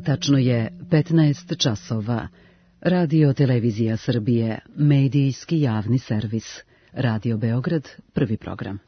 tačno je 15 časova. Radio Televizija Srbije, medijski javni servis. Radio Beograd, prvi program.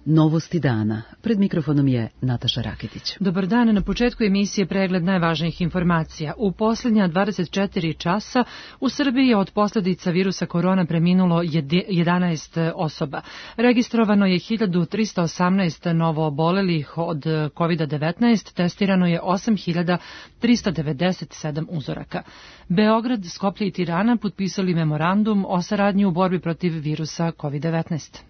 Novosti dana. Pred mikrofonom je Nataša Raketić. Dobar dan, na početku emisije pregled najvažnijih informacija. U posljednja 24 časa u Srbiji je od posljedica virusa korona preminulo 11 osoba. Registrovano je 1318 novo obolelih od COVID-19, testirano je 8397 uzoraka. Beograd, Skoplje i Tirana potpisali memorandum o saradnji u borbi protiv virusa COVID-19.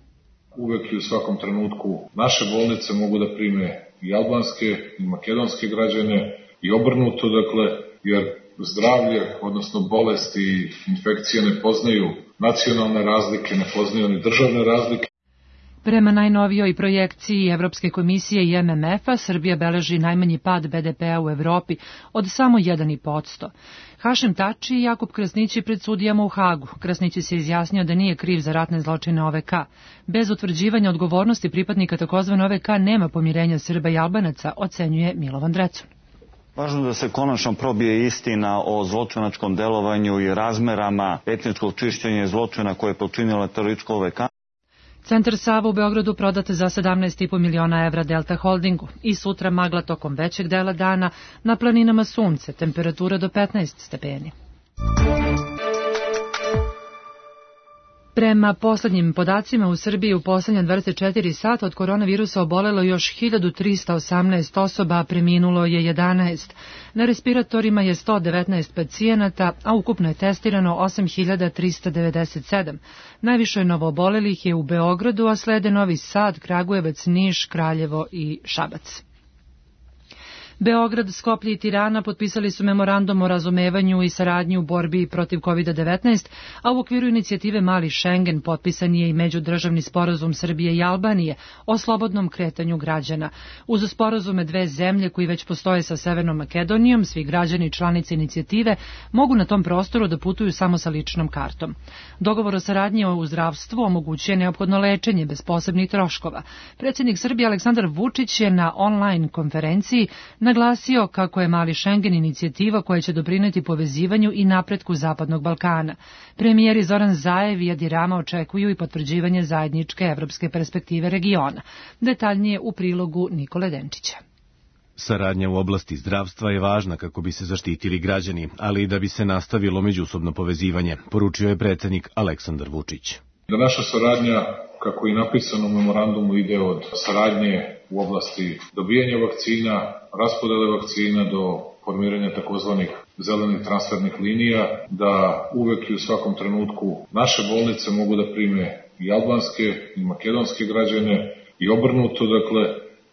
Uvek i u svakom trenutku naše bolnice mogu da prime i albanske i makedonske građane i obrnuto, jer zdravlje, odnosno bolesti i infekcije ne poznaju nacionalne razlike, ne poznaju ni državne razlike. Prema najnovijoj projekciji Evropske komisije i MMF-a, Srbija beleži najmanji pad BDP-a u Evropi od samo 1,5%. Hašim Tači i Jakub Krasnić je pred sudijama u Hagu. Krasnić se izjasnio da nije kriv za ratne zločine OVK. Bez utvrđivanja odgovornosti pripadnika tzv. OVK nema pomirenja Srba i Albanaca, ocenjuje Milovan Drecun. Važno da se konačno probije istina o zločinačkom delovanju i razmerama etničkog čišćenja zločina koje je počinila teroristička OVK. Centar Sava u Beogradu prodat za 17,5 miliona evra Delta Holdingu. I sutra magla tokom većeg dela dana, na planinama sunce, temperatura do 15 stepeni. Prema poslednjim podacima u Srbiji u poslednja 24 sata od koronavirusa obolelo još 1318 osoba, a preminulo je 11. Na respiratorima je 119 pacijenata, a ukupno je testirano 8397. Najviše novoobolelih je u Beogradu, a slede Novi Sad, Kragujevac, Niš, Kraljevo i Šabac. Beograd, Skoplje i Tirana potpisali su memorandum o razumevanju i saradnji u borbi protiv COVID-19, a u okviru inicijative Mali Schengen potpisan je i međudržavni sporazum Srbije i Albanije o slobodnom kretanju građana. Uz sporazume dve zemlje koji već postoje sa Severnom Makedonijom, svi građani i članice inicijative mogu na tom prostoru da putuju samo sa ličnom kartom. Dogovor o saradnji u zdravstvu omogućuje neophodno lečenje bez posebnih troškova. Predsjednik Srbije Aleksandar Vučić je na online konferenciji naglasio kako je Mali Schengen inicijativa koja će doprineti povezivanju i napretku Zapadnog Balkana. Premijeri Zoran Zaev i Edi Rama očekuju i potvrđivanje zajedničke evropske perspektive regiona. Detaljnije u prilogu Nikole Denčića. Saradnja u oblasti zdravstva je važna kako bi se zaštitili građani, ali i da bi se nastavilo međusobno povezivanje, poručio je predsjednik Aleksandar Vučić. Da naša saradnja, kako i napisano u memorandumu, ide od saradnje u oblasti dobijanja vakcina, raspodele vakcina do formiranja takozvanih zelenih transfernih linija, da uvek i u svakom trenutku naše bolnice mogu da prime i albanske i makedonske građane i obrnuto,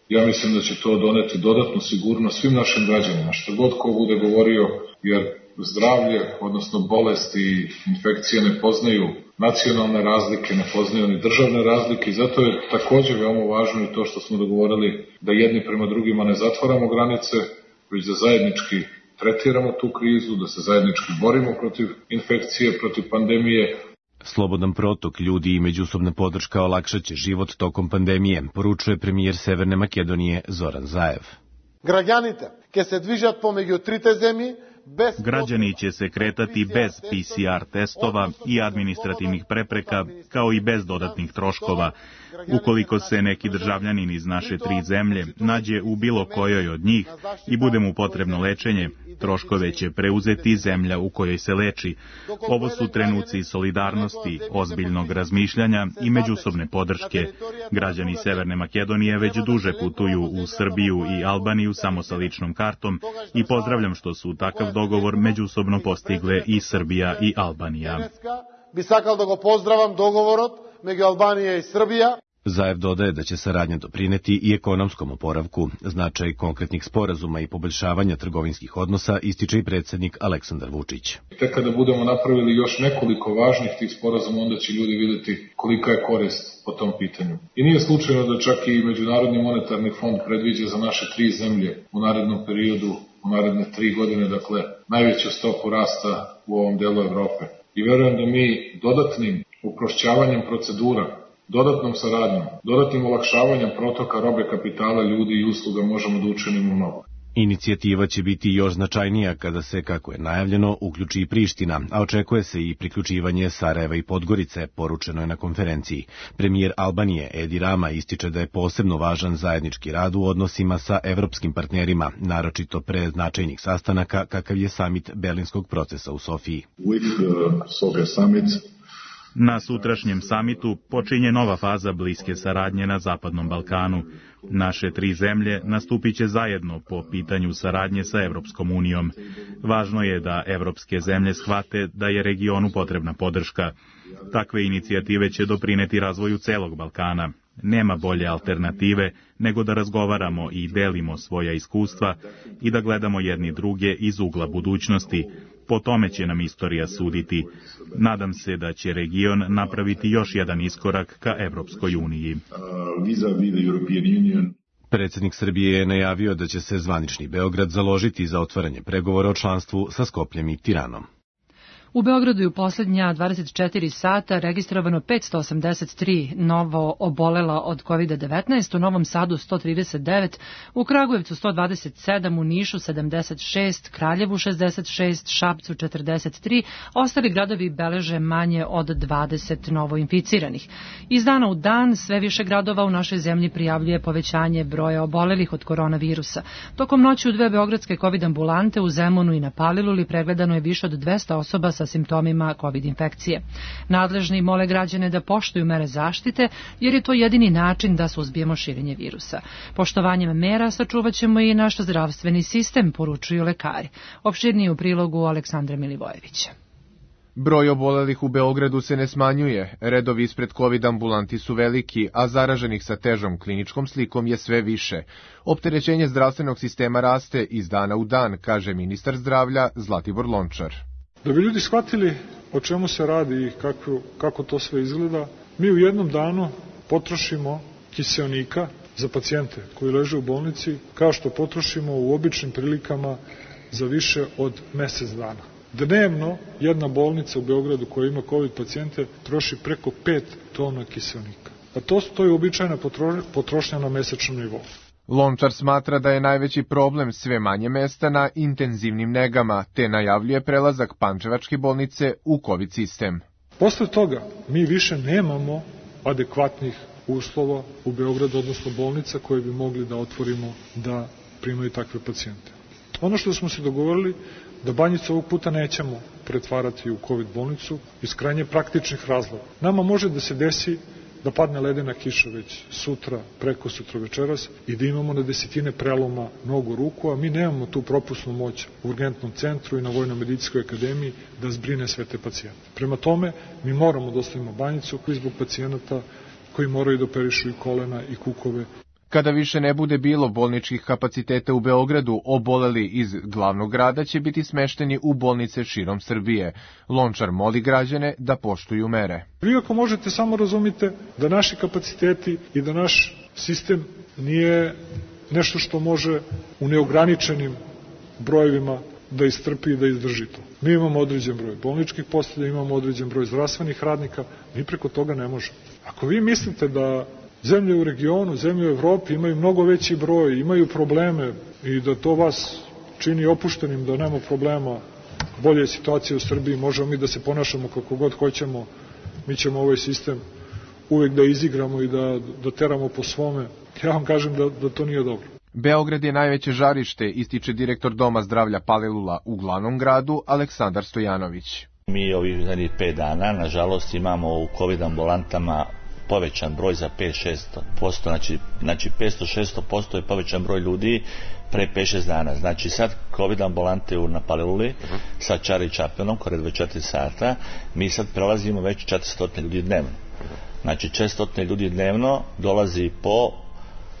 ja mislim da će to doneti dodatnu sigurnost svim našim građanima, što god ko bude govorio, jer zdravlje, odnosno bolesti i infekcije ne poznaju nacionalne razlike, ne poznaju ni državne razlike i zato je također veoma važno i to što smo dogovorili da jedni prema drugima ne zatvaramo granice, već da zajednički tretiramo tu krizu, da se zajednički borimo protiv infekcije, protiv pandemije. Slobodan protok ljudi i međusobna podrška olakšaće život tokom pandemije, poručuje premijer Severne Makedonije Zoran Zaev. Građanite će se dvižati pomeđu trite zemlji. Građani će se kretati bez PCR testova i administrativnih prepreka, kao i bez dodatnih troškova. Ukoliko se neki državljanin iz naše tri zemlje nađe u bilo kojoj od njih i bude mu potrebno lečenje, troškove će preuzeti zemlja u kojoj se leči. Ovo su trenuci solidarnosti, ozbiljnog razmišljanja i međusobne podrške. Građani Severne Makedonije već duže putuju u Srbiju i Albaniju samo sa ličnom kartom i pozdravljam što su takav dogovor međusobno postigle i Srbija i Albanija. Bi sakal da go pozdravam dogovorot među Albanija i Srbija. Zaev dodaje da će saradnja doprineti i ekonomskom oporavku. Značaj konkretnih sporazuma i poboljšavanja trgovinskih odnosa ističe i predsjednik Aleksandar Vučić. Tek kada budemo napravili još nekoliko važnih tih sporazuma, onda će ljudi vidjeti kolika je korist po tom pitanju. I nije slučajno da čak i Međunarodni monetarni fond predviđa za naše tri zemlje u narednom periodu, u naredne 3 godine, najveću stopu rasta u ovom delu Evrope. I verujem da mi dodatnim uprošćavanjem procedura, Dodatnom saradnjom, dodatnim olakšavanjem protoka robe, kapitala, ljudi i usluga možemo da učinimo mnogo. Inicijativa će biti još značajnija kada se, kako je najavljeno, uključi i Priština, a očekuje se i priključivanje Sarajeva i Podgorice, poručeno je na konferenciji. Premijer Albanije Edi Rama ističe da je posebno važan zajednički rad u odnosima sa evropskim partnerima, naročito pre značajnih sastanaka kakav je samit Berlinskog procesa u Sofiji. Na sutrašnjem samitu počinje nova faza bliske saradnje na Zapadnom Balkanu. Naše tri zemlje nastupit će zajedno po pitanju saradnje sa Evropskom unijom. Važno je da evropske zemlje shvate da je regionu potrebna podrška. Takve inicijative će doprineti razvoju celog Balkana. Nema bolje alternative nego da razgovaramo i delimo svoja iskustva i da gledamo jedni druge iz ugla budućnosti. Po tome će nam istorija suditi. Nadam se da će region napraviti još jedan iskorak ka Evropskoj uniji. Predsjednik Srbije je najavio da će se zvanični Beograd založiti za otvaranje pregovora o članstvu sa Skopljem i Tiranom. U Beogradu je u posljednja 24 sata registrovano 583 novo obolela od COVID-19, u Novom Sadu 139, u Kragujevcu 127, u Nišu 76, Kraljevu 66, Šapcu 43, ostali gradovi beleže manje od 20 novoinficiranih. Iz dana u dan sve više gradova u našoj zemlji prijavljuje povećanje broja obolelih od koronavirusa. Tokom noći u dve beogradske COVID ambulante u Zemunu i na Paliluli pregledano je više od 200 osoba sa simptomima COVID infekcije. Nadležni mole građane da poštuju mere zaštite, jer je to jedini način da suzbijemo širenje virusa. Poštovanjem mera sačuvat ćemo i naš zdravstveni sistem, poručuju lekari. Opširnije u prilogu Aleksandra Milivojevića. Broj obolelih u Beogradu se ne smanjuje, redovi ispred COVID ambulanti su veliki, a zaraženih sa težom kliničkom slikom je sve više. Opterećenje zdravstvenog sistema raste iz dana u dan, kaže ministar zdravlja Zlatibor Lončar. Da bi ljudi shvatili o čemu se radi i kako to sve izgleda, mi u jednom danu potrošimo kiseonika za pacijente koji leže u bolnici, kao što potrošimo u običnim prilikama za više od mesec dana. Dnevno jedna bolnica u Beogradu koja ima COVID pacijente troši preko 5 tona kiseonika. A to je uobičajena potrošnja na mesečnom nivou. Lončar smatra da je najveći problem sve manje mesta na intenzivnim negama, te najavljuje prelazak Pančevačke bolnice u COVID sistem. Posle toga mi više nemamo adekvatnih uslova u Beogradu, odnosno bolnica koje bi mogli da otvorimo da primaju takve pacijente. Ono što smo se dogovorili, da Banjicu ovog puta nećemo pretvarati u COVID bolnicu iz krajnje praktičnih razloga. Nama može da se desi da padne ledena kiša već sutra, preko sutra večeras i da imamo na desetine preloma nogu ruku, a mi nemamo tu propusnu moć u urgentnom centru i na Vojno-medicinskoj akademiji da zbrine sve te pacijente. Prema tome, mi moramo da ostavimo Banjicu zbog pacijenata koji moraju da operišu i kolena i kukove. Kada više ne bude bilo bolničkih kapaciteta u Beogradu, oboleli iz glavnog grada će biti smešteni u bolnice širom Srbije. Lončar moli građane da poštuju mere. Vi ako možete samo razumite da naši kapaciteti i da naš sistem nije nešto što može u neograničenim brojevima da istrpi i da izdrži to. Mi imamo određen broj bolničkih postelja, imamo određen broj zdravstvenih radnika, mi preko toga ne možemo. Ako vi mislite da zemlje u regionu, zemlje u Evropi imaju mnogo veći broj, imaju probleme i da to vas čini opuštenim, da nema problema, bolje je situacija u Srbiji, možemo mi da se ponašamo kako god hoćemo, mi ćemo ovaj sistem uvek da izigramo i da teramo po svome. Ja vam kažem da to nije dobro. Beograd je najveće žarište, ističe direktor Doma zdravlja Palilula u glavnom gradu Aleksandar Stojanović. Mi ovih 5 dana, nažalost, imamo u COVID ambulantama povećan broj za 5-6%, znači 500-600% je povećan broj ljudi pre 5-6 dana. Znači sad COVID ambulante na Paliluli sa Čari Čapenom, kore 24 sata, mi sad prelazimo već 400 ljudi dnevno. Znači 400 ljudi dnevno dolazi po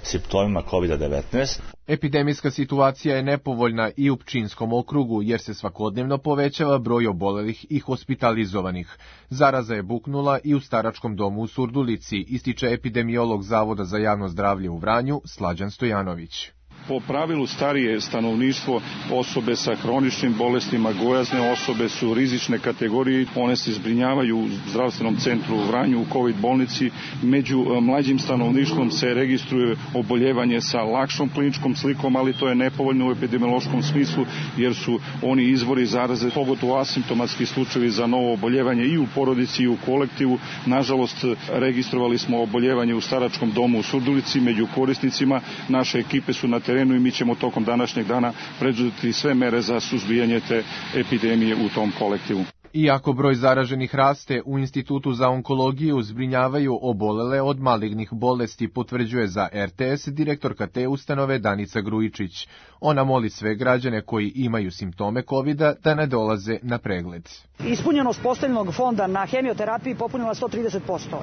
simptomima COVID-19. Epidemijska situacija je nepovoljna i u Pčinjskom okrugu, jer se svakodnevno povećava broj obolelih i hospitalizovanih. Zaraza je buknula i u staračkom domu u Surdulici, ističe epidemiolog Zavoda za javno zdravlje u Vranju, Slađan Stojanović. Po pravilu starije stanovništvo, osobe sa hroničnim bolestima, gojazne osobe su rizične kategorije, one se zbrinjavaju u zdravstvenom centru u Vranju, u COVID bolnici. Među mlađim stanovništvom se registruje oboljevanje sa lakšom kliničkom slikom, ali to je nepovoljno u epidemiološkom smislu jer su oni izvori zaraze, pogotovo asimptomatski slučajevi za novo oboljevanje i u porodici i u kolektivu. Nažalost, registrovali smo oboljevanje u staračkom domu u Surdulici, među korisnicima. Naše ekipe su na terenu i mi ćemo tokom današnjeg dana preduzeti sve mere za suzbijanje te epidemije u tom kolektivu. Iako broj zaraženih raste, u Institutu za onkologiju zbrinjavaju obolele od malignih bolesti, potvrđuje za RTS direktorka te ustanove Danica Grujičić. Ona moli sve građane koji imaju simptome COVID-a da ne dolaze na pregled. Ispunjenost postavljenog fonda na hemioterapiji popunila 130%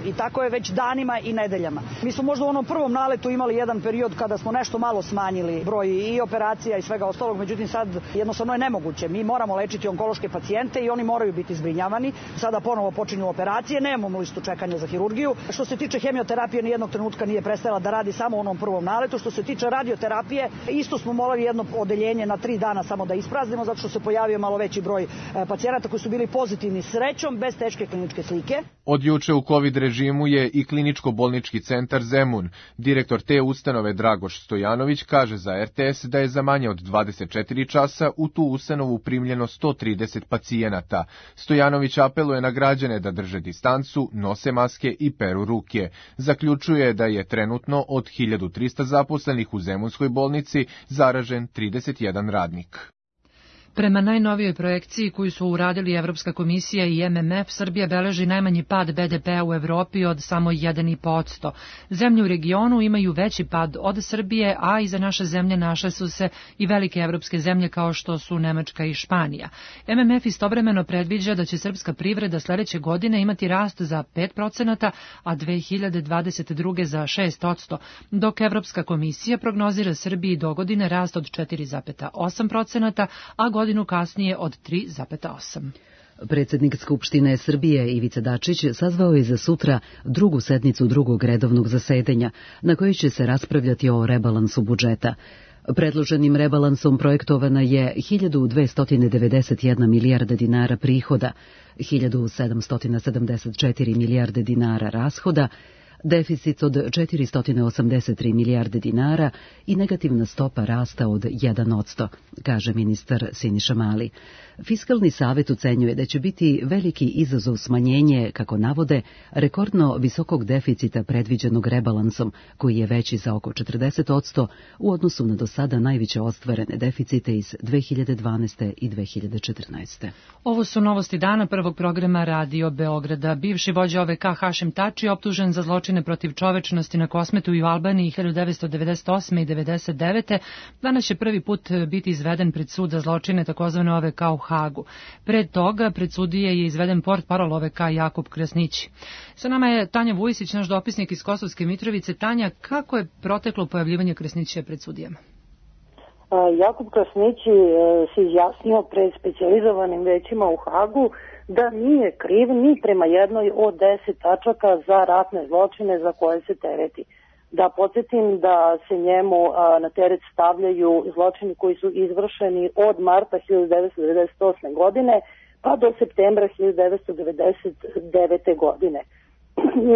i tako je već danima i nedeljama. Mi smo možda u onom prvom naletu imali jedan period kada smo nešto malo smanjili broj i operacija i svega ostalog, međutim sad jednostavno je nemoguće. Mi moramo lečiti onkološke pacijente i oni moraju biti zbrinjavani. Sada ponovo počinju operacije, nemamo listu čekanja za hirurgiju. Što se tiče hemioterapije, nijednog trenutka nije prestajala da radi samo u onom prvom naletu. Što se tiče radioterapije, isto smo morali jedno odeljenje na 3 dana samo da ispraznimo, zato što se pojavio malo veći broj pacijenata koji su bili pozitivni srećom, bez teške kliničke slike. Od juče u COVID režimu je i kliničko-bolnički centar Zemun. Direktor te ustanove Dragoš Stojanović kaže za RTS da je za manje od 24 časa u tu ustanovu primljeno 130 pacijenata. Stojanović apeluje na građane da drže distancu, nose maske i peru ruke. Zaključuje da je trenutno od 1300 zaposlenih u Zemunskoj bolnici zaražen 31 radnik. Prema najnovijoj projekciji koju su uradili Evropska komisija i MMF, Srbija beleži najmanji pad BDP-a u Evropi od samo 1,5%. Zemlje u regionu imaju veći pad od Srbije, a iza naše zemlje našle su se i velike evropske zemlje kao što su Nemačka i Španija. MMF istovremeno predviđa da će srpska privreda sledeće godine imati rast za 5%, a 2022. za 6%, dok Evropska komisija prognozira Srbiji dogodine rast od 4,8%, a godinu kasnije od 3,8%. Predsjednik Skupštine Srbije Ivica Dačić sazvao je za sutra drugu sednicu drugog redovnog zasedanja, na kojoj će se raspravljati o rebalansu budžeta. Predloženim rebalansom projektovana je 1291 milijarda dinara prihoda, 1774 milijarde dinara rashoda, deficit od 483 milijarde dinara i negativna stopa rasta od 1%, kaže ministar Siniša Mali. Fiskalni savet ocenjuje da će biti veliki izazov smanjenje, kako navode, rekordno visokog deficita predviđenog rebalansom, koji je veći za oko 40% u odnosu na do sada najveće ostvarene deficite iz 2012. i 2014. Ovo su novosti dana prvog programa Radio Beograda. Bivši vođa OVK Hašim Tači optužen za zločine protiv čovečnosti na Kosmetu i u Albaniji 1998. i 1999. Danas će prvi put biti izveden pred sud za zločine takozvane OVK u Hagu. Pred toga pred sudije je izveden portparol OVK Jakub Krasnići. Sa nama je Tanja Vujisić, naš dopisnik iz Kosovske Mitrovice. Tanja, kako je proteklo pojavljivanje Krasnića pred sudijama? Jakub Krasnići se izjasnio pred specijalizovanim većima u Hagu da nije kriv ni prema jednoj od 10 tačaka za ratne zločine za koje se tereti. Da podsjetim da se njemu na teret stavljaju zločini koji su izvršeni od marta 1998. godine pa do septembra 1999. godine.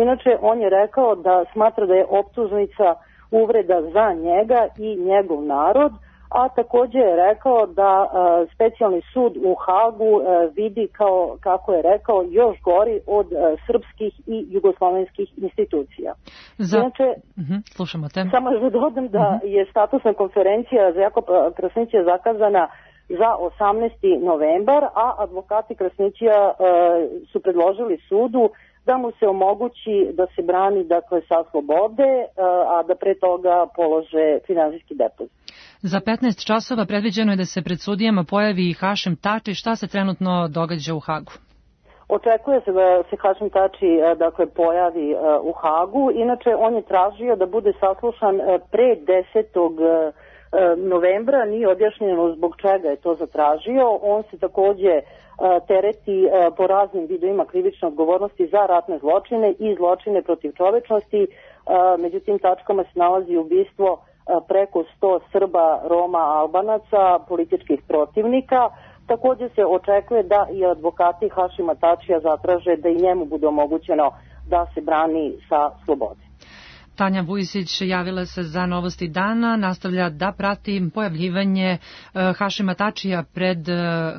Inače, on je rekao da smatra da je optužnica uvreda za njega i njegov narod, a također je rekao da specijalni sud u Hagu vidi kao, kako je rekao, još gori od srpskih i jugoslovenskih institucija. Inače, slušamo te. Samo da dodam da je statusna konferencija za Jakoba Krasnića zakazana za 18. novembar, a advokati Krasnića su predložili sudu da mu se omogući da se brani, dakle, sa slobode, a da pre toga polože finansijski depozit. Za 15 časova predviđeno je da se pred sudijama pojavi i Hašim Tači. Šta se trenutno događa u Hagu? Očekuje se da se Hašim Tači, dakle, pojavi u Hagu. Inače, on je tražio da bude saslušan pre 10. novembra. Nije objašnjeno zbog čega je to zatražio. On se takođe tereti po raznim vidovima krivične odgovornosti za ratne zločine i zločine protiv čovečnosti. Među tim tačkama se nalazi ubistvo preko 100 Srba, Roma, Albanaca, političkih protivnika. Takođe se očekuje da i advokati Hašima Tačija zatraže da i njemu bude omogućeno da se brani sa slobode. Tanja Vujisić javila se za Novosti dana, nastavlja da prati pojavljivanje Hašima Tačija pred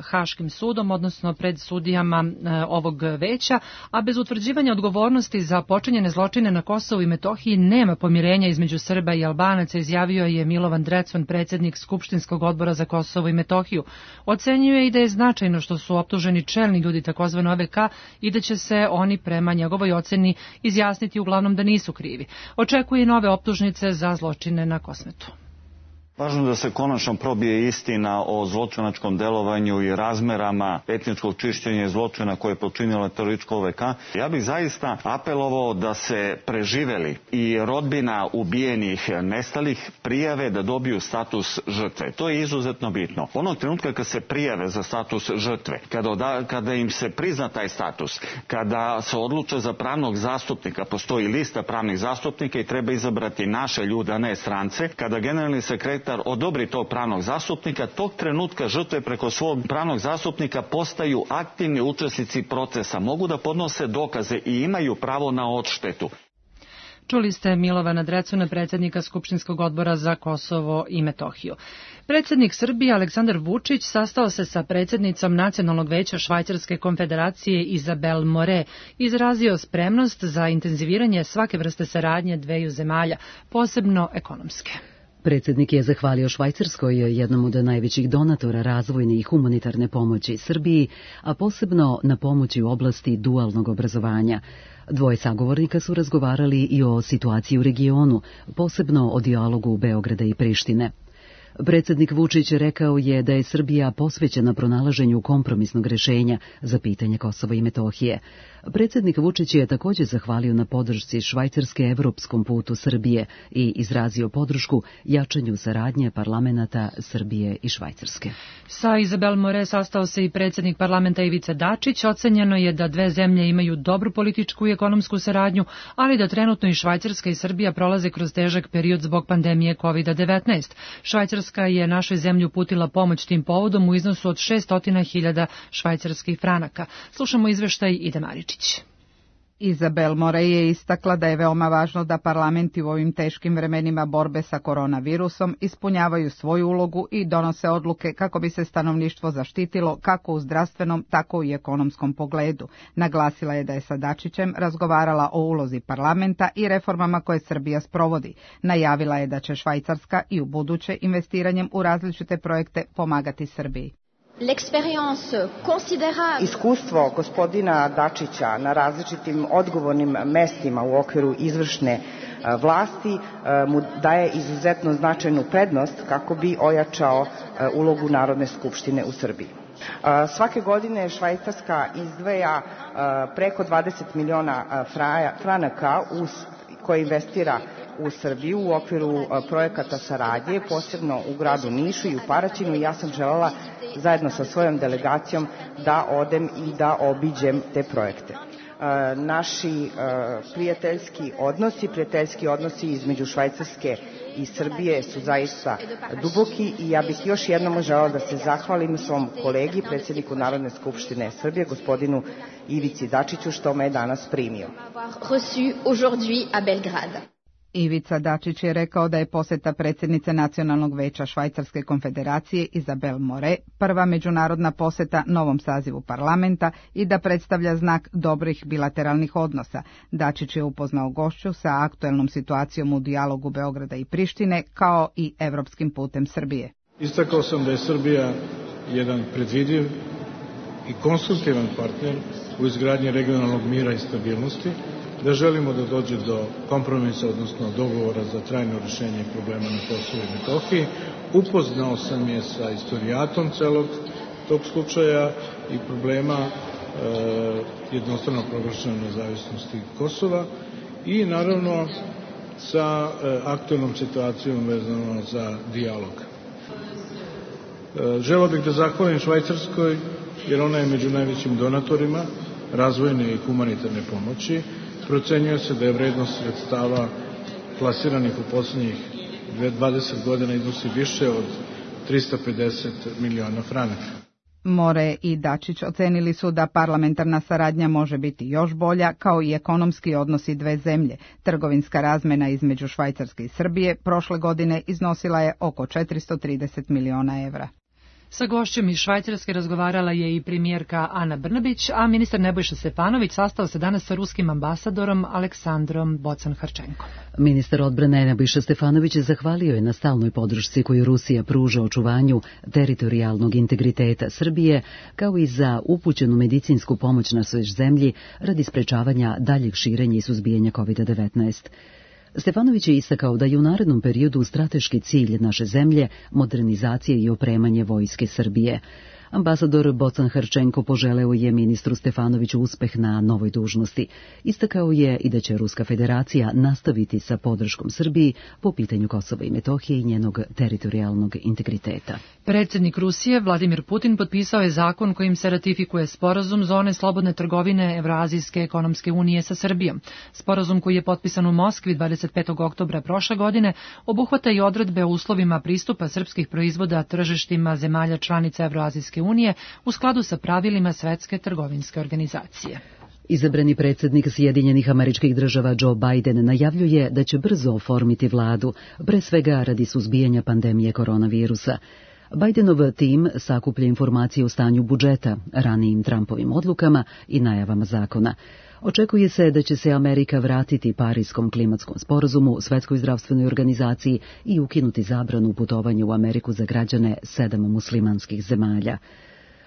Haškim sudom, odnosno pred sudijama ovog veća, a bez utvrđivanja odgovornosti za počinjene zločine na Kosovu i Metohiji nema pomirenja između Srba i Albanaca, izjavio je Milovan Drecun, predsjednik Skupštinskog odbora za Kosovo i Metohiju. Ocenjuje i da je značajno što su optuženi čelni ljudi tzv. OVK i da će se oni prema njegovoj oceni izjasniti uglavnom da nisu krivi. Očekuje nove optužnice za zločine na Kosmetu. Važno da se konačno probije istina o zločinačkom delovanju i razmerama etničkog čišćenja i zločina koje je počinila teroristička OVK. Ja bih zaista apelovao da se preživeli i rodbina ubijenih, nestalih prijave da dobiju status žrtve. To je izuzetno bitno. Onog trenutka kad se prijave za status žrtve, kada im se prizna taj status, kada se odluče za pravnog zastupnika, postoji lista pravnih zastupnika i treba izabrati naše ljude, a ne strance, kada generalni sekretar odobri tog pravnog zastupnika, tog trenutka žrtve preko svog pravnog zastupnika postaju aktivni učesnici procesa, mogu da podnose dokaze i imaju pravo na odštetu. Čuli ste Milovana Drecuna, predsjednika Skupštinskog odbora za Kosovo i Metohiju. Predsjednik Srbije Aleksandar Vučić sastao se sa predsjednicom Nacionalnog veća Švajcarske konfederacije Izabel More, izrazio spremnost za intenziviranje svake vrste saradnje dveju zemalja, posebno ekonomske. Predsjednik je zahvalio Švajcarskoj, jednom od najvećih donatora razvojne i humanitarne pomoći Srbiji, a posebno na pomoći u oblasti dualnog obrazovanja. Dvoje sagovornika su razgovarali i o situaciji u regionu, posebno o dijalogu Beograda i Prištine. Predsjednik Vučić rekao je da je Srbija posvećena pronalaženju kompromisnog rješenja za pitanje Kosova i Metohije. Predsjednik Vučić je također zahvalio na podršci Švajcarske evropskom putu Srbije i izrazio podršku jačanju saradnje parlamenata Srbije i Švajcarske. Sa Izabel More sastao se i predsjednik parlamenta Ivica Dačić. Ocenjeno je da dve zemlje imaju dobru političku i ekonomsku saradnju, ali da trenutno i Švajcarska i Srbija prolaze kroz težak period zbog pandemije COVID-19. Švajcarska je našoj zemlji uputila pomoć tim povodom u iznosu od 600.000 švajcarskih franaka. Slušamo izveštaj Ide Maričić. Izabel More je istakla da je veoma važno da parlamenti u ovim teškim vremenima borbe sa koronavirusom ispunjavaju svoju ulogu i donose odluke kako bi se stanovništvo zaštitilo kako u zdravstvenom, tako i ekonomskom pogledu. Naglasila je da je sa Dačićem razgovarala o ulozi parlamenta i reformama koje Srbija sprovodi. Najavila je da će Švajcarska i u buduće investiranjem u različite projekte pomagati Srbiji. Iskustvo gospodina Dačića na različitim odgovornim mestima u okviru izvršne vlasti mu daje izuzetno značajnu prednost kako bi ojačao ulogu Narodne skupštine u Srbiji. Svake godine Švajcarska izdvaja preko 20 miliona franaka koje investira u Srbiju u okviru projekata saradnje, posebno u gradu Nišu i u Paraćinu. Ja sam želela zajedno sa svojom delegacijom da odem i da obiđem te projekte. Naši prijateljski odnosi između Švajcarske i Srbije su zaista duboki i ja bih još jednom želela da se zahvalim svom kolegi, predsjedniku Narodne skupštine Srbije, gospodinu Ivici Dačiću, što me je danas primio. Ivica Dačić je rekao da je posjeta predsjednice Nacionalnog veća Švajcarske konfederacije Izabel More prva međunarodna posjeta novom sazivu parlamenta i da predstavlja znak dobrih bilateralnih odnosa. Dačić je upoznao gošću sa aktuelnom situacijom u dijalogu Beograda i Prištine kao i evropskim putem Srbije. Istakao sam da je Srbija jedan predvidiv i konstruktivan partner u izgradnji regionalnog mira i stabilnosti, da želimo da dođe do kompromisa, odnosno dogovora za trajno rješenje problema na Kosovu i Metohiji. Upoznao sam je sa istorijatom celog tog slučaja i problema jednostrano proglašene nezavisnosti Kosova i naravno sa aktualnom situacijom vezano za dijalog. Želeo bih da zahvalim Švajcarskoj jer ona je među najvećim donatorima razvojne i humanitarne pomoći. Procenjuje se da je vrednost sredstava plasiranih u posljednjih 20 godina iznosi više od 350 miliona franaka. More i Dačić ocenili su da parlamentarna saradnja može biti još bolja, kao i ekonomski odnosi dve zemlje. Trgovinska razmena između Švajcarske i Srbije prošle godine iznosila je oko 430 miliona evra. Sa gošćom iz Švajcarske razgovarala je i premijerka Ana Brnabić, a ministar Nebojša Stefanović sastao se danas sa ruskim ambasadorom Aleksandrom Bocan-Harčenkom. Ministar odbrane Nebojša Stefanović zahvalio je na stalnoj podršci koju Rusija pruža očuvanju teritorijalnog integriteta Srbije, kao i za upućenu medicinsku pomoć na svoj zemlji radi sprečavanja daljeg širenja i suzbijanja COVID-19. Stefanović je istakao da je u narednom periodu strateški cilj naše zemlje modernizacija i opremanje vojske Srbije. Ambasador Bocan-Harčenko poželeo je ministru Stefanoviću uspeh na novoj dužnosti. Istakao je i da će Ruska federacija nastaviti sa podrškom Srbiji po pitanju Kosova i Metohije i njenog teritorijalnog integriteta. Predsjednik Rusije Vladimir Putin potpisao je zakon kojim se ratifikuje sporazum zone slobodne trgovine Evroazijske ekonomske unije sa Srbijom. Sporazum koji je potpisan u Moskvi 25. oktobra prošle godine obuhvata i odredbe o uslovima pristupa srpskih proizvoda tržištima zemalja članica Evroazijske unije u skladu sa pravilima Svetske trgovinske organizacije. Izabrani predsjednik Sjedinjenih Američkih Država Joe Biden najavljuje da će brzo oformiti vladu, pre svega radi suzbijanja pandemije koronavirusa. Bidenov tim sakuplja informacije o stanju budžeta, ranijim Trumpovim odlukama i najavama zakona. Očekuje se da će se Amerika vratiti Parijskom klimatskom sporazumu, Svetskoj zdravstvenoj organizaciji i ukinuti zabranu putovanja u Ameriku za građane 7 muslimanskih zemalja.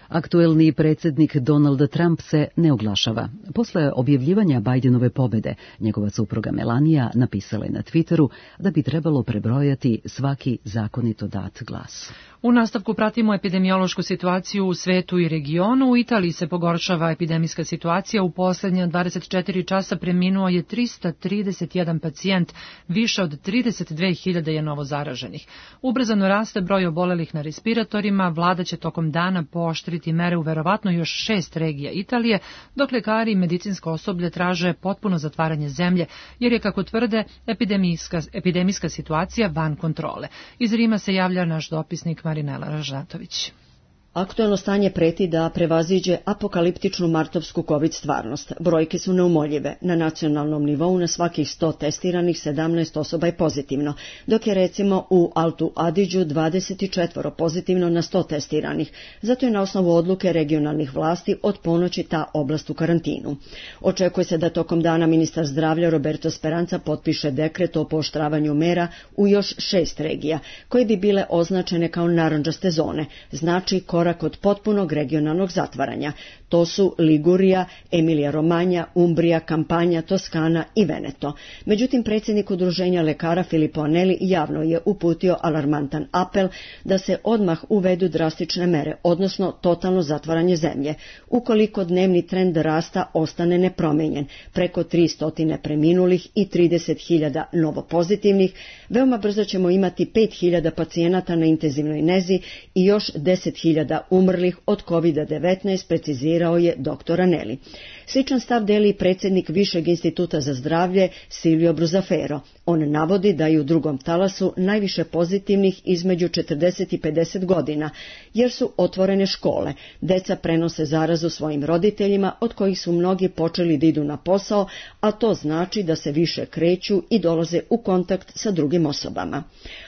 Aktuelni predsjednik Donald Trump se ne oglašava. Posle objavljivanja Bidenove pobede, njegova supruga Melania napisala je na Twitteru da bi trebalo prebrojati svaki zakonito dat glas. U nastavku pratimo epidemiološku situaciju u svetu i regionu. U Italiji se pogoršava epidemijska situacija. U posljednja 24 časa preminuo je 331 pacijent, više od 32.000 je novo zaraženih. Ubrzano raste broj obolelih na respiratorima. Vlada će tokom dana pooštriti mere u verovatno još 6 regija Italije, dok lekari i medicinsko osoblje traže potpuno zatvaranje zemlje, jer je, kako tvrde, epidemijska situacija van kontrole. Iz Rima se javlja naš dopisnik Marinela Ražnatović. Aktuelno stanje preti da prevaziđe apokaliptičnu martovsku COVID stvarnost. Brojke su neumoljive. Na nacionalnom nivou na svakih 100 testiranih 17 osoba je pozitivno, dok je recimo u Altu Adiđu 24 pozitivno na 100 testiranih. Zato je na osnovu odluke regionalnih vlasti od ponoći ta oblast u karantinu. Očekuje se da tokom dana ministar zdravlja Roberto Speranza potpiše dekret o pooštravanju mera u još 6 regija, koje bi bile označene kao narandžaste zone, znači korak od potpunog regionalnog zatvaranja. To su Ligurija, Emilija Romanja, Umbrija, Kampanja, Toskana i Veneto. Međutim, predsjednik udruženja lekara Filippo Anelli javno je uputio alarmantan apel da se odmah uvedu drastične mere, odnosno totalno zatvaranje zemlje. Ukoliko dnevni trend rasta ostane nepromijenjen, preko 300 preminulih i 30.000 novopozitivnih, veoma brzo ćemo imati 5.000 pacijenata na intenzivnoj nezi i još 10.000 umrlih od COVID-19, precizirao je dr. Anelli. Sličan stav deli predsjednik Višeg instituta za zdravlje Silvio Bruzzafero. On navodi da je u drugom talasu najviše pozitivnih između 40 i 50 godina, jer su otvorene škole. Deca prenose zarazu svojim roditeljima, od kojih su mnogi počeli da idu na posao, a to znači da se više kreću i dolaze u kontakt sa drugim osobama.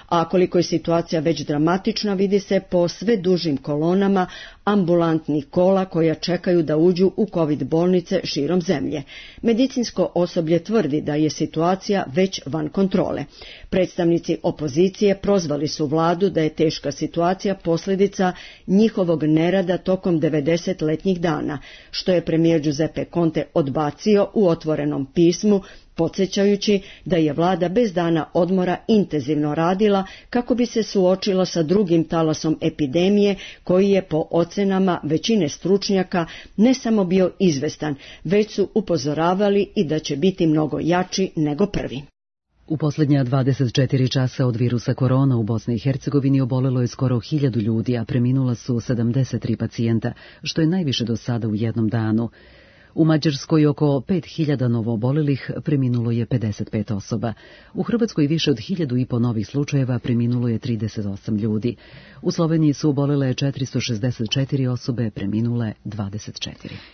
A koliko je situacija već dramatična, vidi se po sve dužim kolonama ambulantnih kola koja čekaju da uđu u COVID bolnice širom zemlje. Medicinsko osoblje tvrdi da je situacija već van kontrole. Predstavnici opozicije prozvali su vladu da je teška situacija posljedica njihovog nerada tokom 90-letnjih dana, što je premijer Giuseppe Conte odbacio u otvorenom pismu, podsjećajući da je vlada bez dana odmora intenzivno radila kako bi se suočila sa drugim talasom epidemije, koji je po ocenama većine stručnjaka ne samo bio izvestan, već su upozoravali i da će biti mnogo jači nego prvi. U posljednja 24 časa od virusa korona u Bosni i Hercegovini obolelo je skoro 1000 ljudi, a preminula su 73 pacijenta, što je najviše do sada u jednom danu. U Mađarskoj oko 5000 novoobolelih, preminulo je 55 osoba. U Hrvatskoj više od 1500 novih slučajeva, preminulo je 38 ljudi. U Sloveniji su obolele 464 osobe, preminule 24.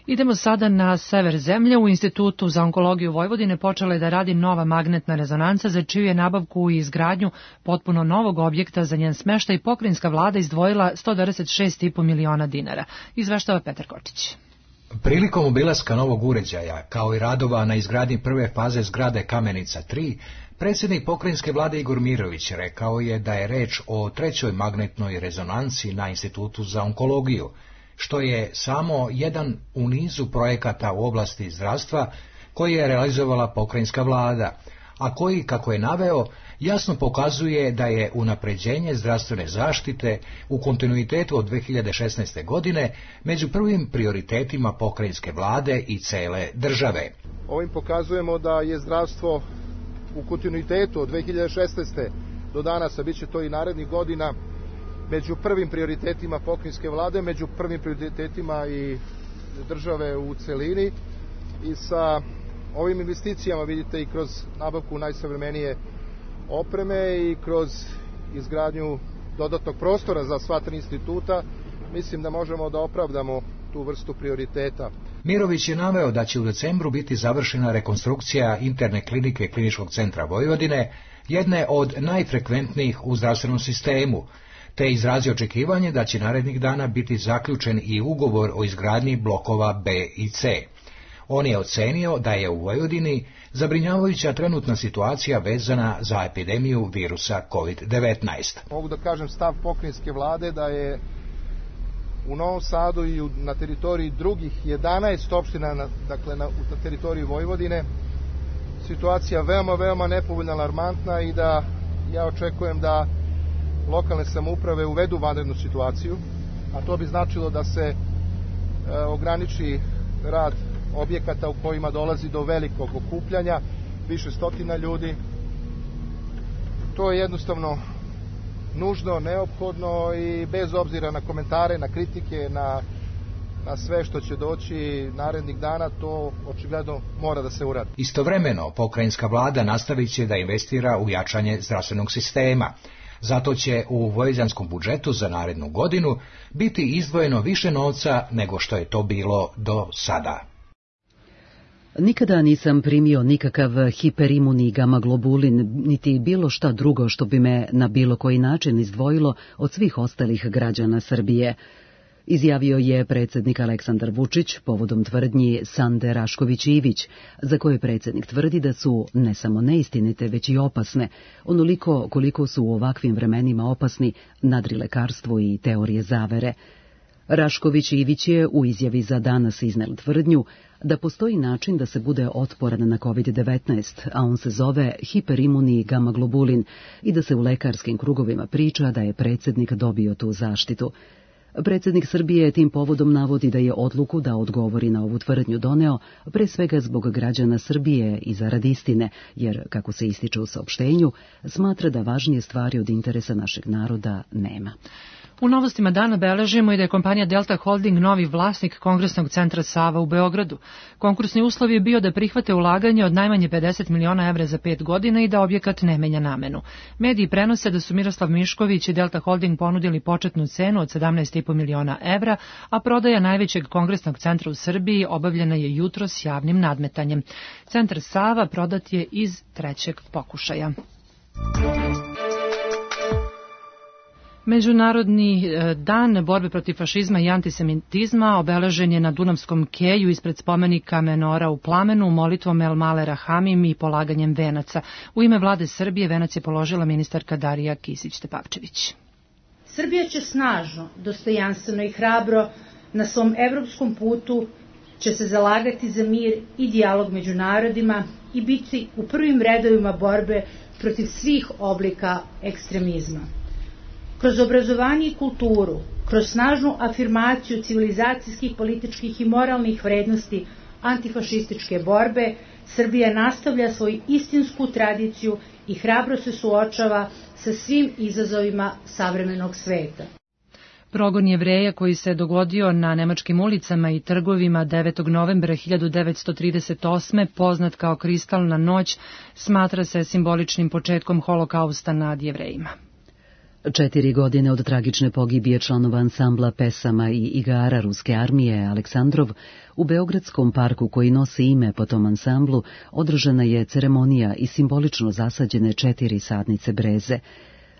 Idemo sada na sever zemlje. U Institutu za onkologiju Vojvodine počela je da radi nova magnetna rezonanca, za čiju je nabavku i izgradnju potpuno novog objekta za njen smeštaj i pokrajinska vlada izdvojila 126,5 miliona dinara. Izveštava Petar Kočić. Prilikom obilaska novog uređaja, kao i radova na izgradnji prve faze zgrade Kamenica 3, predsjednik pokrajinske vlade Igor Mirović rekao je da je reč o trećoj magnetnoj rezonanci na Institutu za onkologiju, što je samo jedan u nizu projekata u oblasti zdravstva koji je realizovala pokrajinska vlada, a koji, kako je naveo, jasno pokazuje da je unapređenje zdravstvene zaštite u kontinuitetu od 2016. godine među prvim prioritetima pokrajinske vlade i cele države. Ovim pokazujemo da je zdravstvo u kontinuitetu od 2016. do danas, a bit će to i narednih godina, među prvim prioritetima pokrajinske vlade, među prvim prioritetima i države u celini. I sa ovim investicijama, vidite, i kroz nabavku najsavremenije opreme i kroz izgradnju dodatnog prostora za sva tri instituta, mislim da možemo da opravdamo tu vrstu prioriteta. Mirović je naveo da će u decembru biti završena rekonstrukcija interne klinike Kliničkog centra Vojvodine, jedne od najfrekventnijih u zdravstvenom sistemu, te izrazio očekivanje da će narednih dana biti zaključen i ugovor o izgradnji blokova B i C. On je ocenio da je u Vojvodini zabrinjavajuća trenutna situacija vezana za epidemiju virusa COVID-19. Mogu da kažem stav pokrajinske vlade da je u Novom Sadu i na teritoriji drugih 11 opština, dakle na teritoriji Vojvodine, situacija veoma nepovoljna, alarmantna i da ja očekujem da lokalne samouprave uvedu vanrednu situaciju, a to bi značilo da se ograniči rad objekata u kojima dolazi do velikog okupljanja, više stotina ljudi. To je jednostavno nužno, neophodno i bez obzira na komentare, na kritike, na sve što će doći narednih dana, to očigledno mora da se uradi. Istovremeno, pokrajinska vlada nastavit će da investira u jačanje zdravstvenog sistema. Zato će u vojvođanskom budžetu za narednu godinu biti izdvojeno više novca nego što je to bilo do sada. Nikada nisam primio nikakav hiperimuni gamaglobulin, niti bilo šta drugo što bi me na bilo koji način izdvojilo od svih ostalih građana Srbije, izjavio je predsjednik Aleksandar Vučić povodom tvrdnji Sande Rašković-Ivić, za koje predsjednik tvrdi da su ne samo neistinite, već i opasne, onoliko koliko su u ovakvim vremenima opasni nadrilekarstvo i teorije zavere. Rašković-Ivić je u izjavi za Danas iznel tvrdnju da postoji način da se bude otporan na COVID-19, a on se zove hiperimuni gamaglobulin i da se u lekarskim krugovima priča da je predsjednik dobio tu zaštitu. Predsjednik Srbije tim povodom navodi da je odluku da odgovori na ovu tvrdnju doneo pre svega zbog građana Srbije i zarad istine, jer, kako se ističe u saopštenju, smatra da važnije stvari od interesa našeg naroda nema. U novostima dana beležimo i da je kompanija Delta Holding novi vlasnik Kongresnog centra Sava u Beogradu. Konkursni uslov je bio da prihvate ulaganje od najmanje 50 miliona evra za 5 godina i da objekat ne menja namenu. Mediji prenose da su Miroslav Mišković i Delta Holding ponudili početnu cenu od 17,5 miliona evra, a prodaja najvećeg kongresnog centra u Srbiji obavljena je jutros javnim nadmetanjem. Centar Sava prodat je iz trećeg pokušaja. Međunarodni dan borbe protiv fašizma i antisemitizma obeležen je na Dunavskom keju ispred spomenika Menora u Plamenu molitvom El Male Rahamim i polaganjem venaca. U ime vlade Srbije venac je položila ministarka Darija Kisić-Tepavčević. Srbija će snažno, dostojanstveno i hrabro na svom evropskom putu će se zalagati za mir i dijalog među narodima i biti u prvim redovima borbe protiv svih oblika ekstremizma. Kroz obrazovanje i kulturu, kroz snažnu afirmaciju civilizacijskih, političkih i moralnih vrednosti antifašističke borbe, Srbija nastavlja svoju istinsku tradiciju i hrabro se suočava sa svim izazovima savremenog sveta. Progon Jevreja koji se dogodio na nemačkim ulicama i trgovima 9. novembra 1938. poznat kao Kristalna noć, smatra se simboličnim početkom holokausta nad Jevrejima. 4 godine od tragične pogibije članova ansambla pesama i igara ruske armije Aleksandrov, u Beogradskom parku koji nosi ime po tom ansamblu održana je ceremonija i simbolično zasađene 4 sadnice breze.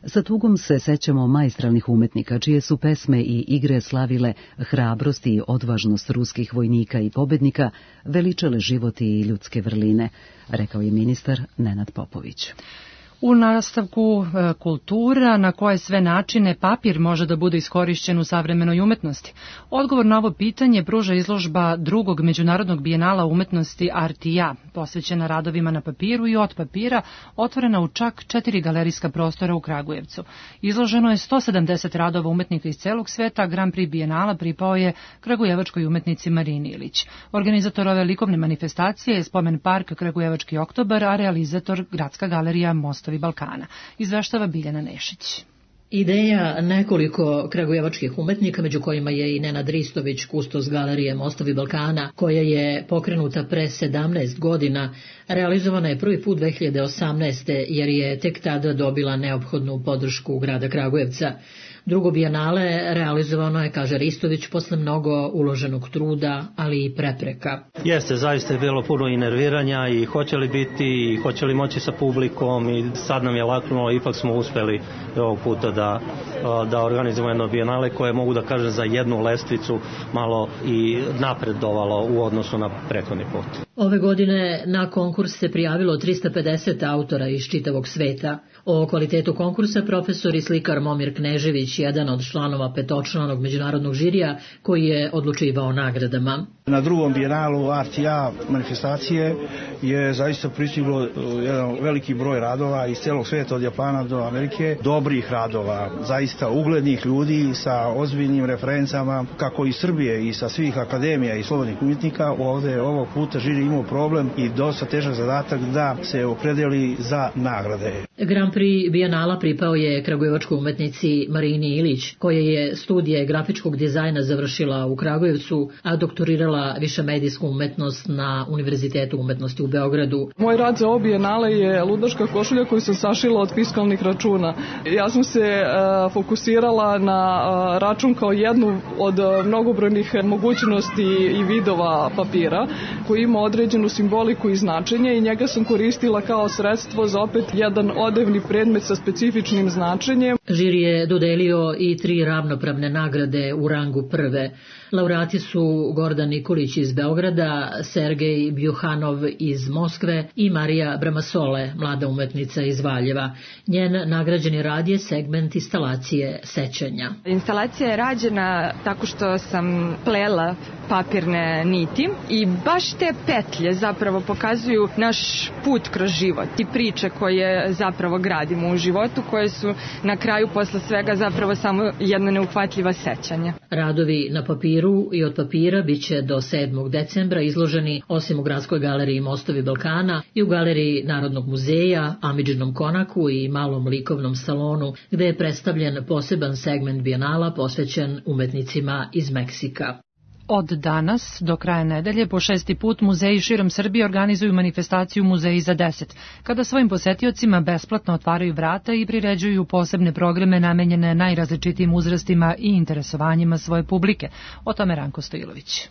Sa tugom se sećamo maestralnih umetnika, čije su pesme i igre slavile hrabrost i odvažnost ruskih vojnika i pobednika, veličale život i ljudske vrline, rekao je ministar Nenad Popović. U nastavku kultura, na koje sve načine papir može da bude iskorišćen u savremenoj umetnosti. Odgovor na ovo pitanje pruža izložba drugog međunarodnog bijenala umetnosti Artija, posvećena radovima na papiru i od papira, otvorena u čak 4 galerijska prostora u Kragujevcu. Izloženo je 170 radova umetnika iz celog sveta, a Grand Prix bijenala pripao je kragujevačkoj umetnici Marini Ilić. Organizator ove likovne manifestacije je Spomen park Kragujevački oktobar, a realizator Gradska galerija Mostovi Balkana. Izveštava Biljana Nešić. Ideja nekoliko kragujevačkih umetnika, među kojima je i Nenad Ristović, kustos galerije Mostovi Balkana, koja je pokrenuta pre 17 godina, realizovana je prvi put 2018. jer je tek tada dobila neophodnu podršku grada Kragujevca. Drugo bijenale realizovano je, kaže Ristović, posle mnogo uloženog truda, ali i prepreka. Jeste, zaista je bilo puno i nerviranja i hoće li biti, i hoće li moći sa publikom, i sad nam je laknulo, ipak smo uspeli ovog puta da organizujemo jedno bijenale koje, mogu da kažem, za jednu lestvicu malo i napredovalo u odnosu na prethodni put. Ove godine na konkurs se prijavilo 350 autora iz čitavog sveta. O kvalitetu konkursa profesor i slikar Momir Knežević, jedan od članova petočlanog međunarodnog žirija koji je odlučivao nagradama. Na drugom bijenalu Artija manifestacije je zaista pristiglo jedan veliki broj radova iz celog sveta, od Japana do Amerike, dobrih radova, zaista uglednih ljudi sa ozbiljnim referencama, kako iz Srbije i sa svih akademija i slobodnih umjetnika. Ovde ovog puta žiri imao problem i dosta težak zadatak da se opredeli za nagrade. Grand Prix bijenala pripao je kragujevačkoj umetnici Marini Ilić, koja je studije grafičkog dizajna završila u Kragujevcu, a doktorirala višemedijsku umetnost na Univerzitetu umetnosti u Beogradu. Moj rad za ovo bijenale je ludaška košulja koju sam sašila od fiskalnih računa. Ja sam se fokusirala na račun kao jednu od mnogobrojnih mogućnosti i vidova papira, koji ima određenu simboliku i značenje, i njega sam koristila kao sredstvo za opet jedan odevni predmet sa specifičnim značenjem. Žiri je dodelio i 3 ravnopravne nagrade u rangu prve. Laureati su Gordan Nikolić iz Beograda, Sergej Bjuhanov iz Moskve i Marija Bramasole, mlada umetnica iz Valjeva. Njen nagrađeni rad je segment instalacije sećanja. Instalacija je rađena tako što sam plela papirne niti i baš te petlje zapravo pokazuju naš put kroz život i priče koje zapravo gradimo u životu, koje su na kraju posle svega zapravo samo jedno neuhvatljiva sećanja. Radovi na papiru i od papira biće do 7. decembra izloženi osim u Gradskoj galeriji Mostovi Balkana i u galeriji Narodnog muzeja, Amidžinom konaku i malom likovnom salonu, gde je predstavljen poseban segment bijenala posvećen umetnicima iz Meksika. Od danas do kraja nedelje po 6. put muzeji širom Srbije organizuju manifestaciju Muzeji za 10, kada svojim posetiocima besplatno otvaraju vrata i priređuju posebne programe namenjene najrazličitijim uzrastima i interesovanjima svoje publike. O tome Ranko Stojilović.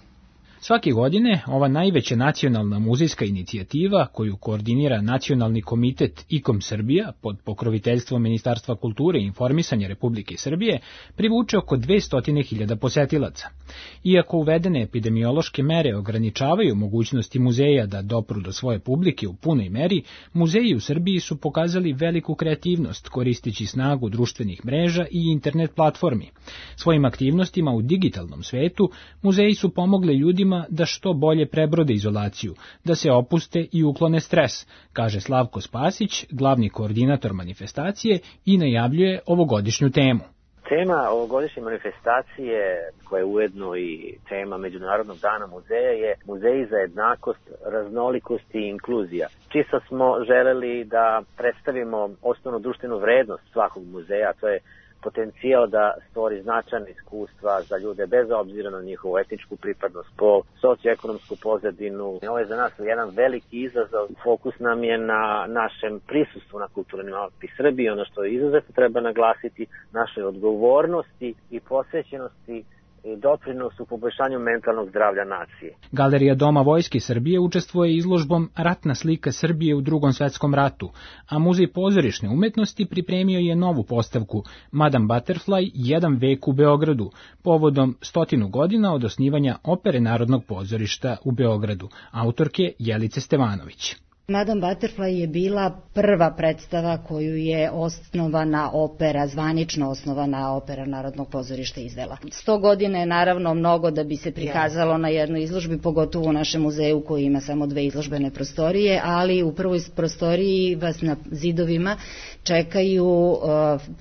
Svake godine ova najveća nacionalna muzejska inicijativa, koju koordinira Nacionalni komitet IKOM Srbija pod pokroviteljstvom Ministarstva kulture i informisanja Republike Srbije, privuče oko 200.000 posetilaca. Iako uvedene epidemiološke mere ograničavaju mogućnosti muzeja da dopru do svoje publike u punoj meri, muzeji u Srbiji su pokazali veliku kreativnost koristeći snagu društvenih mreža i internet platformi. Svojim aktivnostima u digitalnom svetu muzeji su pomogli ljudima da što bolje prebrode izolaciju, da se opuste i uklone stres, kaže Slavko Spasić, glavni koordinator manifestacije, i najavljuje ovogodišnju temu. Tema ovogodišnje manifestacije, koja je ujedno i tema Međunarodnog dana muzeja, je Muzeji za jednakost, raznolikost i inkluzija. Čisto smo želeli da predstavimo osnovnu društvenu vrednost svakog muzeja, to je potencijal da stvori značajna iskustva za ljude bez obzira na njihovu etničku pripadnost, pol, socioekonomsku pozadinu. Ovo je za nas jedan veliki izazov. Fokus nam je na našem prisustvu na kulturnim Alpi Srbije, ono što izuzetno treba naglasiti, našoj odgovornosti i posvećenosti i doprinos u poboljšanju mentalnog zdravlja nacije. Galerija Doma Vojske Srbije učestvuje izložbom Ratna slika Srbije u Drugom svetskom ratu, a Muzej pozorišne umetnosti pripremio je novu postavku Madame Butterfly, jedan vek u Beogradu, povodom 100 godina od osnivanja Opere Narodnog pozorišta u Beogradu, autorke Jelice Stevanović. Madame Butterfly je bila prva predstava koju je osnovana opera, zvanično osnovana opera Narodnog pozorišta izvela. 100 godina je naravno mnogo da bi se prikazalo na jednoj izložbi, pogotovo u našem muzeju koji ima samo 2 izložbene prostorije, ali u prvoj prostoriji vas na zidovima čekaju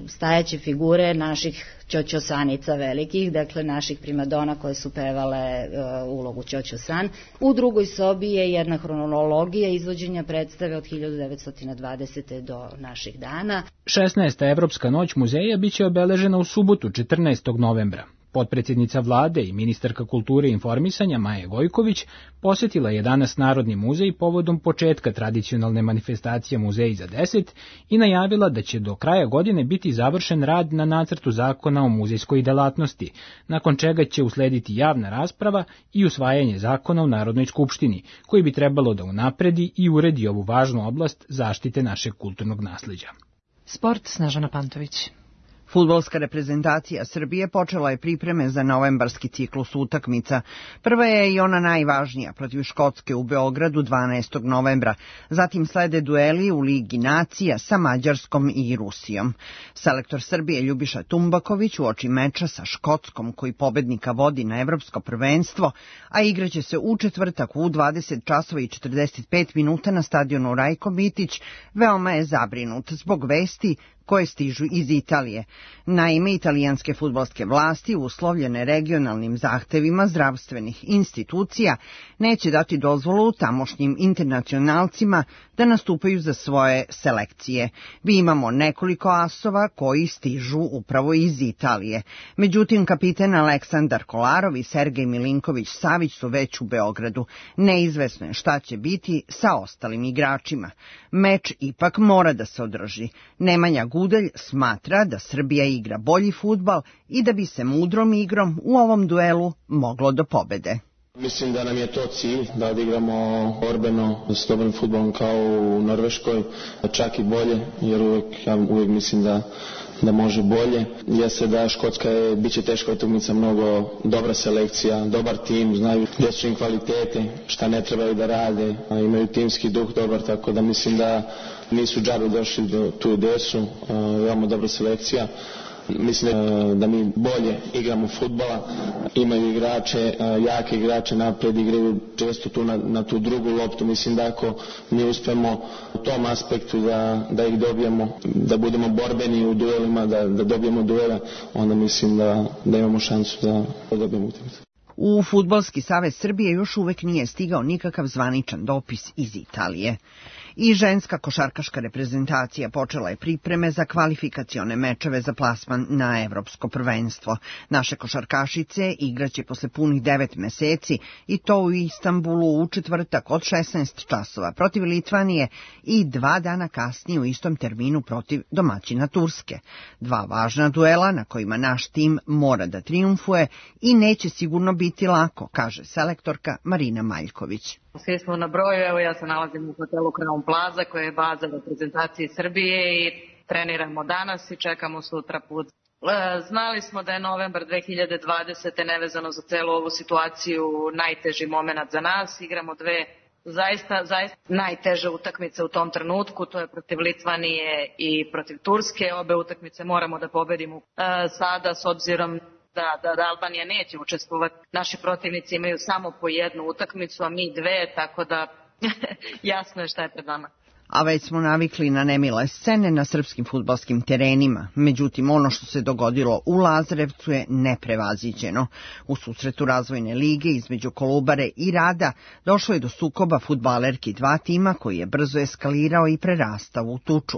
stajaće figure naših ćoćosanica velikih, dakle naših primadona koje su pevale ulogu ćoćosan. U drugoj sobi je jedna hronologija izvođenja predstave od 1920. do naših dana. 16. Evropska noć muzeja biće obeležena u subotu 14. novembra. Potpredsjednica vlade i ministarka kulture i informisanja Maja Gojković posjetila je danas Narodni muzej povodom početka tradicionalne manifestacije Muzeji za 10 i najavila da će do kraja godine biti završen rad na nacrtu zakona o muzejskoj delatnosti, nakon čega će uslediti javna rasprava i usvajanje zakona u Narodnoj skupštini, koji bi trebalo da unapredi i uredi ovu važnu oblast zaštite našeg kulturnog nasleđa. Sport, Snežana Pantović. Fudbalska reprezentacija Srbije počela je pripreme za novembarski ciklus utakmica. Prva je i ona najvažnija protiv Škotske u Beogradu 12. novembra. Zatim slede dueli u Ligi nacija sa Mađarskom i Rusijom. Selektor Srbije Ljubiša Tumbaković uoči meča sa Škotskom, koji pobednika vodi na evropsko prvenstvo, a igraće se u četvrtak u 20 časova i 45 minuta na stadionu Rajko Mitić, veoma je zabrinut zbog vesti koje stižu iz Italije. Naime, italijanske fudbalske vlasti, uslovljene regionalnim zahtevima zdravstvenih institucija, neće dati dozvolu tamošnjim internacionalcima da nastupaju za svoje selekcije. Mi imamo nekoliko asova koji stižu upravo iz Italije. Međutim, kapiten Aleksandar Kolarov i Sergej Milinković-Savić su već u Beogradu. Neizvesno je šta će biti sa ostalim igračima. Meč ipak mora da se održi. Nemanja Gudelj smatra da Srbija igra bolji fudbal i da bi se mudrom igrom u ovom duelu moglo do pobede. Mislim da nam je to cilj, da odigramo borbeno s dobrim fudbalom kao u Norveškoj, čak i bolje, jer uvijek mislim da može bolje. Jeste da Škotska biće teška utakmica, mnogo dobra selekcija, dobar tim, znaju gdje su im kvalitete, šta ne trebaju da rade, a imaju timski duh dobar, tako da mislim da nisu džabe došli do tu gdje su, veoma dobra selekcija. Mislim da mi bolje igramo fudbala, imaju igrače, jake igrače napred, igraju često tu na tu drugu loptu. Mislim da ako mi uspemo u tom aspektu da ih dobijemo, da budemo borbeni u duelima, da dobijemo duele, onda mislim da imamo šansu da dobijemo utakmicu. U Fudbalski savez Srbije još uvek nije stigao nikakav zvaničan dopis iz Italije. I ženska košarkaška reprezentacija počela je pripreme za kvalifikacione mečeve za plasman na evropsko prvenstvo. Naše košarkašice igraće posle punih 9 meseci i to u Istanbulu u četvrtak od 16 časova protiv Litvanije i 2 dana kasnije u istom terminu protiv domaćina Turske. 2 važna duela na kojima naš tim mora da trijumfuje i neće sigurno biti lako, kaže selektorka Marina Maljković. Svi smo na broju, evo ja se nalazim u hotelu Crown Plaza koja je baza reprezentacije Srbije i treniramo danas i čekamo sutra put. Znali smo da je novembar 2020. nevezano za celu ovu situaciju najteži moment za nas. Igramo 2 zaista najteže utakmice u tom trenutku, to je protiv Litvanije i protiv Turske. Obe utakmice moramo da pobedimo sada s obzirom da Albanija neće učestvovati. Naši protivnici imaju samo po 1 utakmicu, a mi 2, tako da jasno je šta je pred nama. A već smo navikli na nemile scene na srpskim fudbalskim terenima. Međutim, ono što se dogodilo u Lazarevcu je neprevaziđeno. U susretu razvojne lige između Kolubare i Rada došlo je do sukoba fudbalerki dva tima koji je brzo eskalirao i prerastao u tuču.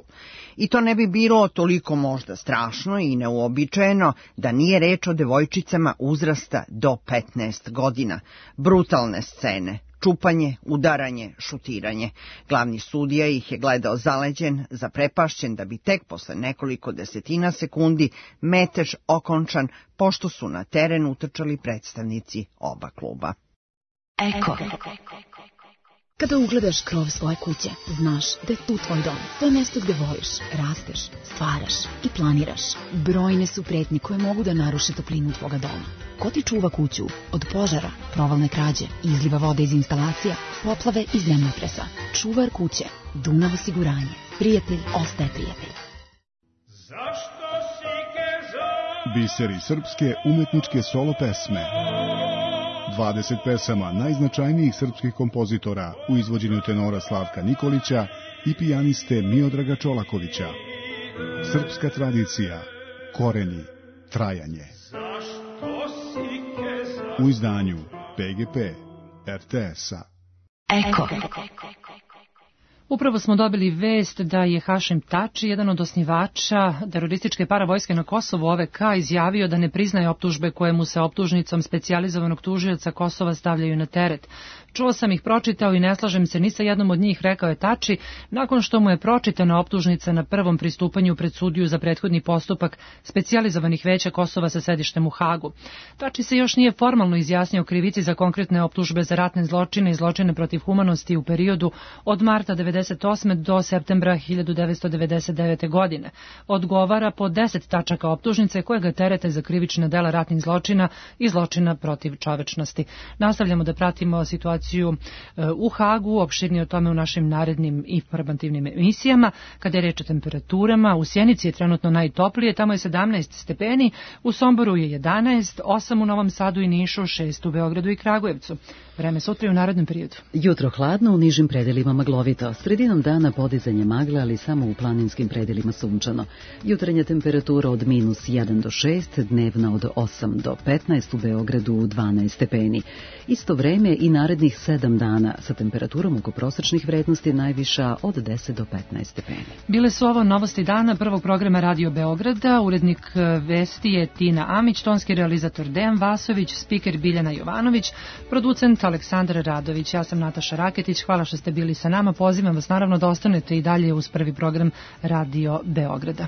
I to ne bi bilo toliko možda strašno i neuobičajeno da nije reč o devojčicama uzrasta do 15 godina. Brutalne scene. Čupanje, udaranje, šutiranje. Glavni sudija ih je gledao zaleđen, zaprepašćen da bi tek posle nekoliko desetina sekundi metež okončan, pošto su na teren utrčali predstavnici oba kluba. Eko. Kada ugledaš krov svoje kuće, znaš da je tu tvoj dom. To je mjesto gde voliš, rasteš, stvaraš i planiraš. Brojne su pretnje koje mogu da naruše toplinu tvoga doma. Ko ti čuva kuću od požara, provalne krađe, izliva vode iz instalacija, poplave i zemljotresa? Čuvar kuće, Dunav osiguranje. Prijatelj ostaje prijatelj. Biseri srpske umetničke solo pesme. 20 pesama najznačajnijih srpskih kompozitora u izvođenju tenora Slavka Nikolića i pijaniste Miodraga Čolakovića. Srpska tradicija, koreni, trajanje. U izdanju PGP RTS-a. Eko. Upravo smo dobili vest da je Hašim Tači, jedan od osnivača terorističke paravojske na Kosovu OVK, izjavio da ne priznaje optužbe koje mu se optužnicom specijalizovanog tužioca Kosova stavljaju na teret. Čuo sam ih, pročitao i ne slažem se ni sa jednom od njih, rekao je Tači, nakon što mu je pročitana optužnica na prvom pristupanju pred sudiju za prethodni postupak specijalizovanih veća Kosova sa sedištem u Hagu. Tači se još nije formalno izjasnio krivici za konkretne optužbe za ratne zločine i zločine protiv humanosti u periodu od marta 1998. do septembra 1999. godine. Odgovara po 10 tačaka optužnice koje ga terete za krivična dela ratnih zločina i zločina protiv čovečnosti. Nastavljamo da pratimo situaciju u Hagu, opširnije o tome u našim narednim informativnim emisijama. Kada je reč o temperaturama, u Sjenici je trenutno najtoplije, tamo je 17 stepeni, u Somboru je 11, 8 u Novom Sadu i Nišu, 6 u Beogradu i Kragujevcu. Vreme sutra i u narednom periodu. Jutro hladno, u nižim predelima maglovito. Sredinom dana podizanje magle, ali samo u planinskim predelima sunčano. Jutarnja temperatura od -1 do 6, dnevna od 8 do 15, u Beogradu 12 stepeni. Isto vreme i narednih 7 dana sa temperaturom oko prosečnih vrednosti najviša od 10 do 15 stepeni. Bile su ovo novosti dana prvog programa Radio Beograda. Urednik vesti je Tina Amić, tonski realizator Dejan Vasović, spiker Biljana Jovanović, producent Aleksandar Radović. Ja sam Nataša Raketić. Hvala što ste bili sa nama. Pozivam vas naravno da ostanete i dalje uz prvi program Radio Beograda.